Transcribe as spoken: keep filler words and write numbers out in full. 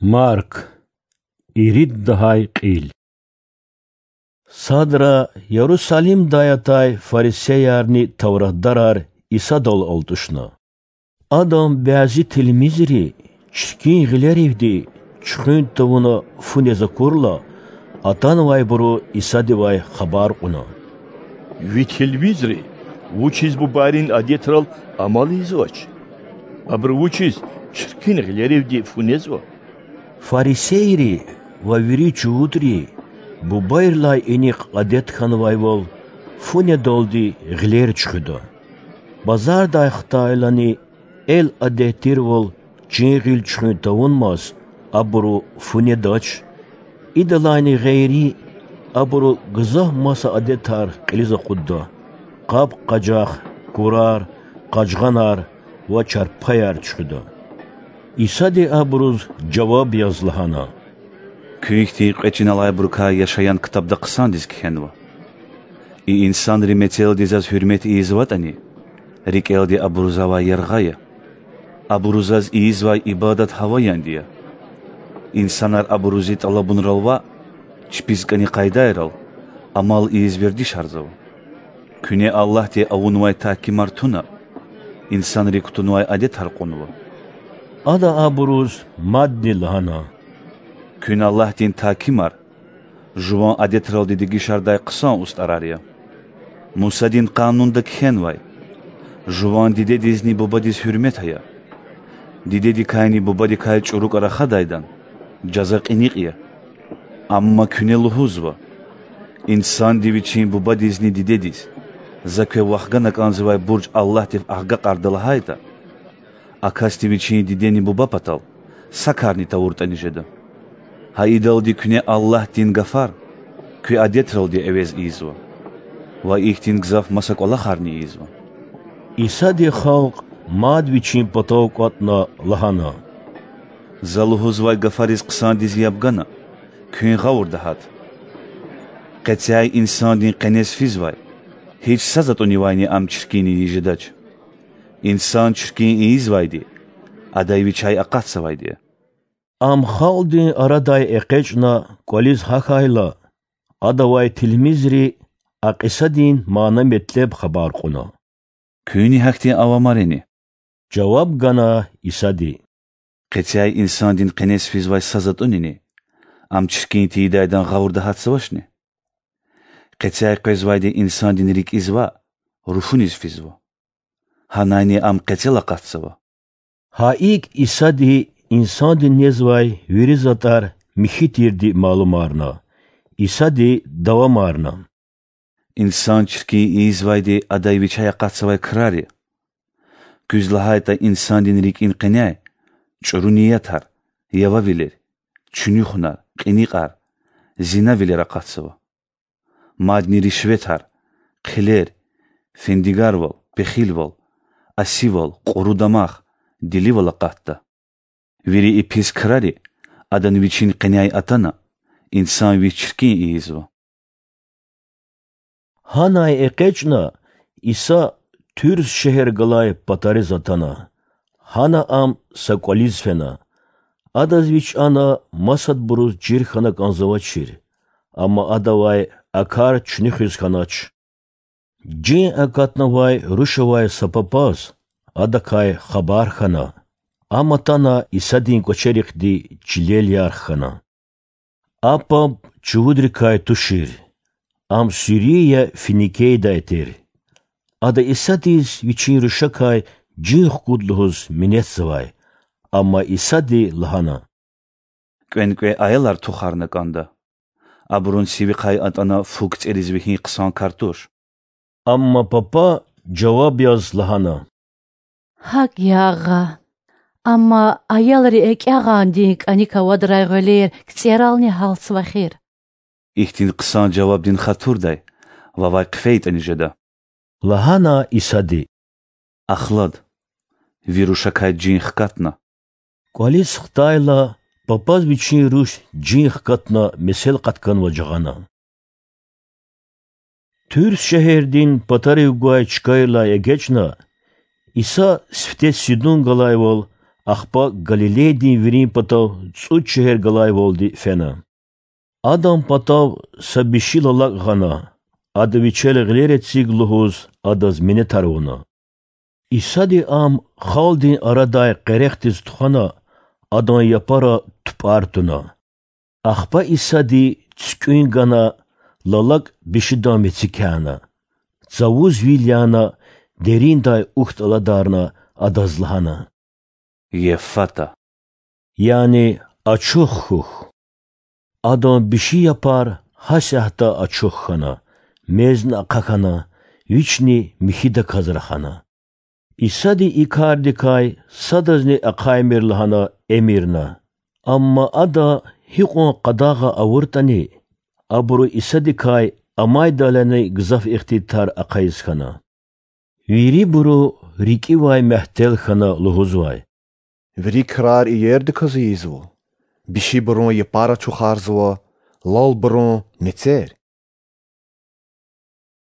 Марк, ирид лагьай кьил. Садра Ярусалимдай атай фарисеярни тавратдарар Исадал алтӀушна. Адан бязи тилмизри чиркин гъилеривди чуьхуьн тавуна фу нез акурла, атанвайбуру Исадивай хабар кьуна: Ви тилмизри вучиз бубайрин адетрал амал ийизвач? Абуру вучиз чиркин гъилеривди фу незва? Фарисейри ва вири чувудри бубайрилай инихъ адет хьанвайвал фу недалди гъилер чуьхуьда. Базардай хтайлани эл адет тирвал чин гъил чуьхуьн тавунмаз абуру фу недач. Идалайни гъейри, абуру гзаф маса адетар кьилиз акъудда: къаб-къажах, курар, къажгъанар ва чарпаяр чуьхуьда. Исади абуруз жаваб яз лагьана: Куьн хьтин кьве чин алайбурукай Яшаян ктабда хъсандиз кхьенва: И инсанри мецелди Заз гьуьрмет ийизватӀани, рикӀелди абуру Завай яргъа я. Абуру Заз ийизвай ибадат гьаваянди я. Инсанар абуру Зи тӀалабунрал ваъ, чпиз кӀани къайдайрал, амал ийиз вердишарзава. Куьне Аллагьди авунвай тагькимар туна, инсанри кутунвай адетар кьунва. Ада абуруз мадни лагьана: Куьн Аллагьдин тагькимар жуван адетралди дегишардай хъсан устӀарар я. Мусадин Къанунда кхьенвай: Жуван дидедизни бубадиз гьуьрмет ая. Дидедикайни бубадикай чӀурукай рахадайдан жаза кьиникь я. Амма куьне лугьузва: Инсанди вичин бубадизни дидедиз, За квев вахгана кӀанзавай бурж Аллагьдив агакьарда лагьайтӀа, а касди вичин дидени буба патал са карни тавуртӀани жеда. Гьа идалди куьне Аллагьдин гафар куь адетралди эвез ийизва. Ва ихьтин гзаф маса кӀвалахарни ийизва. Исади халкь мад Вичин патав кӀватӀна лагьана: За лугьузвай гафариз хъсандиз яб гана, куьн гъавурда гьат. Къецяй инсандин къенез физвай гьич са затӀунивайни ам чиркин ийиз жедач. Инсан чиркин ийизвайди адай вичяй акъатзавайди я. Ам халкьдин арадай экъечӀна кӀвализ гьахьайла, Адавай тилмизри а кьисадин мана-метлеб хабар кьуна. Куьнни гьахьтин ава марини? жаваб гана Исади. Къецяй инсандин къенез физвай са затӀунини ам чиркин тийидайдан гъавурда гьатзавачни? Къецяй къвезвайди инсандин рикӀиз ваъ, руфуниз физва. Гьанайни ам къецел акъатзава. Гьа икӀ Исади инсанди незвай вири затӀар михьи тирди малумарна. Исади давамарна: Инсан чиркин ийизвайди адай вичяй акъатзавай крар я. Куьз лагьайтӀа, инсандин рикӀин къеняй чӀуру ниятар, явавилер, чуьнуьхунар, кьиникьар, зинавилер акъатзава. Мадни ришветар, хъилер, фендигарвал, пехилвал, асивал, кьуру дамах, диливал акъатда. Вири и пис крари адан вичин къеняй атана, инсан вич чиркин ийизва. Гьанай экъечӀна, Иса Туьрс шегьер галай патариз атана. Гьана ам са кӀвализ фена. Адаз вич ана масадбуруз чир хьана кӀанзавачир, амма Адавай а кар чуьнуьхиз хьанач. Жин акатнавай руш авай са папаз Адакай хабар хьана. Ам атана Исадин кӀвачерихъди чилел ярх хьана. А паб чувудрикай тушир. Ам Сирия-Финикейдай тир. Ада Исадиз вичин рушакай жин хкуд лугьуз минетзавай, амма Исади лагьана: КӀвенкӀве аялар тухарна кӀанда. Абурун сивихъай атӀана фу кицӀериз вегьин хъсан кар туш. Амма папа жаваб яз лагьана: ГьакӀ я, агъа. Амма аялри экӀягъандин кӀаник авадрай гъвелер кицӀерални гьалтзава эхир. Ихьтин хъсан жавабдин хатурдай вавай хъфейтӀани жеда,– лагьана Исади. Ахлад, ви рушакай жин хкатна. КӀвализ хтайла, папаз вичин руш жин хкатна месел къатканва жагъана. Туьрс шегьердин патарив гвай чкайрилай эгечӀна, Иса сифте Сидун галайвал ахпа Галилейдин вирин патав цӀуд шегьер галайвалди фена. Адан патав са биши лалакь гъана, Ада вичел гъилер эциг лугьуз Адаз минетар авуна. Исади ам халкьдин арадай къерехдиз тухвана, Адан япара тупӀар туна. Ахпа Исади цуькӀуьн гана, лалакь бишидан мецикяна, цавуз вил яна, дериндай ухьтӀ аладарна, Адаз лагьана: Еффата, яни Ачух хьухь. Адан биши япар гьасятда ачух хьана, мезни ахъа хьана, вични михьидаказ рахана. Исади и кардикай садазни ахъаймир лагьана эмирна. Амма Ада гьикьван къадагъа авуртӀани, абуру Исадикай амайдалайни гзаф ихтилатар ахъайиз хьана. Вирибуру рикӀивай мягьтел хьана лугьузвай: Вири крар иердаказ ийизва: бишибурун япар ачухарзава, лалбурун— мецер,